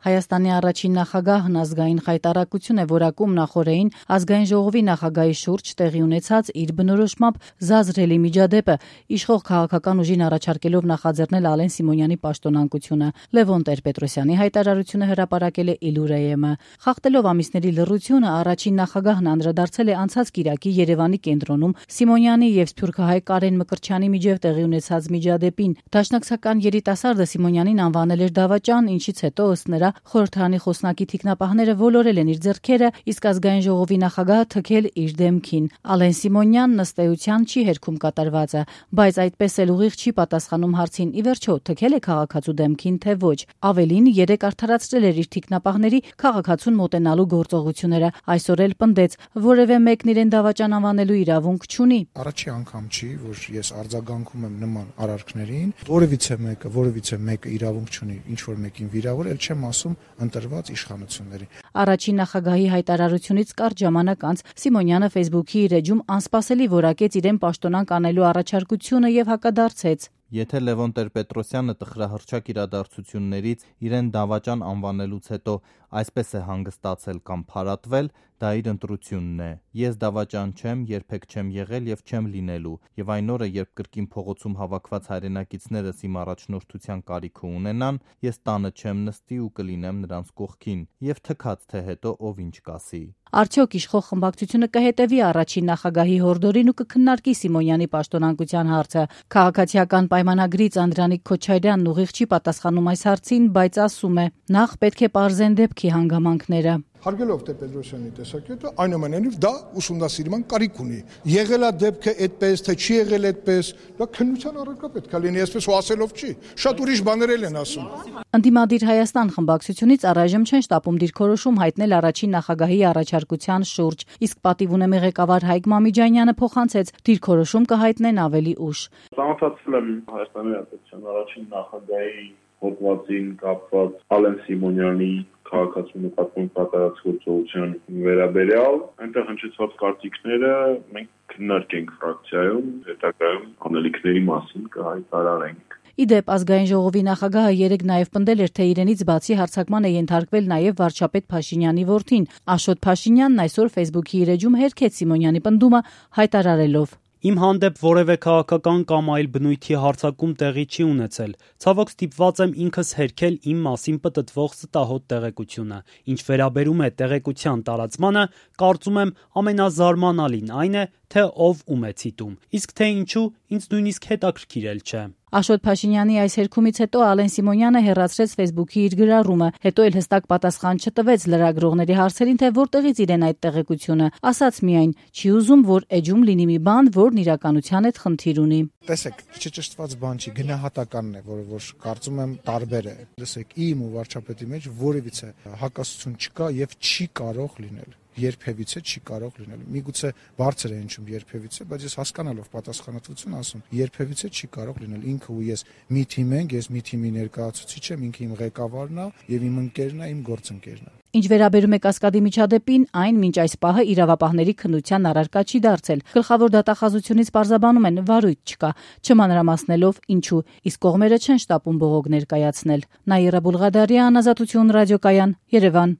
Հայաստանի առաջին նախագահն ազգային խայտառակություն է որակում նախօրեին ազգային ժողովի նախագահի շուրջ տեղի ունեցած իր բնորոշմամբ զազրելի միջադեպը, իշխող քաղաքական ուժին առաջարկելով նախաձեռնել Ալեն Սիմոնյանի պաշտոնանկությունը։ Լևոն Տեր-Պետրոսյանի հայտարարությունը հրապարակել է Իլուրեյ-ը։ Խախտելով ամիսների լռությունը, առաջին նախագահն անդրադարձել է անցած կիրակի Երևանի կենտրոնում Սիմոնյանի եւ սփյուռքահայ Կարեն Մկրտչյանի միջև տեղի ունեցած միջադեպին։ Դաշնակցական երիտասարդը Սիմոնյանին անվանել էր դավաճան, ինչից հետո ըստ նրա խորհրդարանի խոսնակի թիկնապահները ոլորել են իր ձեռքերը, իսկ ազգային ժողովի նախագահը թքել իր դեմքին։ Ալեն Սիմոնյանն ըստ էության չի հերքում կատարվածը, բայց այդպես էլ ուղիղ չի պատասխանում հարցին՝ ի վերջո թքել է քաղաքացու դեմքին, թե ոչ։ Ավելին, երեկ արդարացրել էր իր թիկնապահների քաղաքացուն մոտենալու գործողությունները։ Այսօր էլ պնդեց, որևէ մեկն իրեն դավաճան անվանելու իրավունք չունի։ Առաջի անգամ չի, որ ես արձագանքում եմ նման արարքներին, որևիցե մեկը իրավունք չունի ինչ որ մեկին վիրավորել, չեմ ասում ընտրված իշխանությունների։ Առաջին նախագահի հայտարարությունից կարճ ժամանակ անց Սիմոնյանը Facebook-ի իր էջում անսպասելի որակեց իրեն պաշտոնանկ անելու առաջարկությունը եւ հակադարձեց։ Եթե Լևոն Տեր-Պետրոսյանը տխրահռչակ իրադարձություններից իրեն դավաճան անվանելուց հետո այսպես է հանգստացել կամ փարատվել, դա իր ընտրությունն է։ Ես դավաճան չեմ, երբեք չեմ եղել եւ չեմ լինելու, եւ այն օրը, երբ կրկին փողոցում հավաքված հայրենակիցներս իմ առաջնորդության կարիքը ունենան, ես տանը չեմ նստի ու կլինեմ նրանց կողքին, եւ թքած թե հետո ով ինչ կասի։ Արդյոք իշխող խմբակցությունը կհետևի առաջին նախագահի հորդորին ու կքննարկի Սիմոնյանի պաշտոնանկության հարցը։ Քաղաքացիական պայմանագրից Անդրանիկ Քոչարյանն ուղիղ չի պատասխանում այս հարցին, բայց ասում է՝ նախ պետք է պարզեն դեպքի հանգամանքները։ Հարգելով Տեր-Պետրոսյանի տեսակետը, այնուամենայնիվ դա ուսումնասիրման կարիք ունի։ Եղել է դեպքը այդպես, թե չի եղել այդպես, դա քննության առարկա պետք է լինի, այսպես ու ասելով չի։ Շատ ուրիշ բաներ են ասում։ Ընդդիմադիր Հայաստան խմբակցությունից առայժմ չեն շտապում դիրքորոշում հայտնել առաջին նախագահի առաջարկության շուրջ, իսկ պատիվ ունեմի ղեկավար Հայկ Մամիջանյանը փոխանցեց՝ դիրքորոշում կհայտնեն ավելի ուշ։ Ծանոթացել եմ Հայաստանի Հանրապետության առաջին նախագահի հոդվածին կապված Ալեն Սիմոնյանի քաղաքացու նկատմամբ կատարած գործողության վերաբերյալ, այնտեղ հնչեցված կարծիքները մենք քննարկենք ֆրակցիայում, հետագայում անելիքների մասին կհայտարարենք։ Իդեպ ազգային ժողովի նախագահը երեկ նաև պնդել էր, թե իրենից բացի հարձակման է ենթարկվել նաև վարչապետ Փաշինյանի որդին։ Աշոտ Փաշինյանն այսօր Facebook-ի իր էջում հերքեց Սիմոնյանի պնդումը, հայտարարելով. Իմ հանդեպ որևէ քաղաքական կամ այլ բնույթի հարձակում տեղի չի ունեցել։ Ցավոք ստիպված եմ ինքս հերքել իմ մասին պտտվող ստահոդ տեղեկությունը։ Ինչ վերաբերում է տեղեկության տարածմանը, կարծում եմ ամենազարմանալին այն է, թե ով ում է ցիտում։ Իսկ թե ինչու, ինձ նույնիսկ հետաքրքիր չէ։ Աշոտ Փաշինյանի այս հերքումից հետո Ալեն Սիմոնյանը հեռացրեց Facebook-ի իր գրառումը, հետո էլ հստակ պատասխան չտվեց լրագրողների հարցերին, թե որտեղից իրեն այդ տեղեկությունը, ասաց միայն՝ չի ուզում, որ էջում լինի մի բան, որն իրականության հետ խնդիր ունի։ Տեսեք, չճշտված բան չի, գնահատականն է, որ կարծում եմ տարբեր է։ Լսեք, իմ ու վարչապետի մեջ որևիցե հակասություն չկա եւ չի կարող լինել։ Երբևիցե չի կարող լինել։ Միգուցե բարձր է հնչում երբևիցե, բայց ես հասկանալով պատասխանատվություն ասում, երբևիցե չի կարող լինել։ Ինքը ու ես մի թիմ ենք, ես մի թիմի ներկայացուցիչ եմ, ինքը իմ ղեկավարն է եւ իմ ընկերն է, իմ գործընկերն է։ Ինչ վերաբերում է Կասկադի միջադեպին, այն մինչ այս պահը իրավապահների քննության առարկա չի դարձել։ Գլխավոր դատախազությունից պարզաբանում են՝ վարույթ չկա, չմանրամասնելով ինչու, իսկ կողմերը չեն շտապում բողոք ներկայացնել։ Նաիրա Բուլղադարյան, Ազատություն ռադիոկայան, Երևան։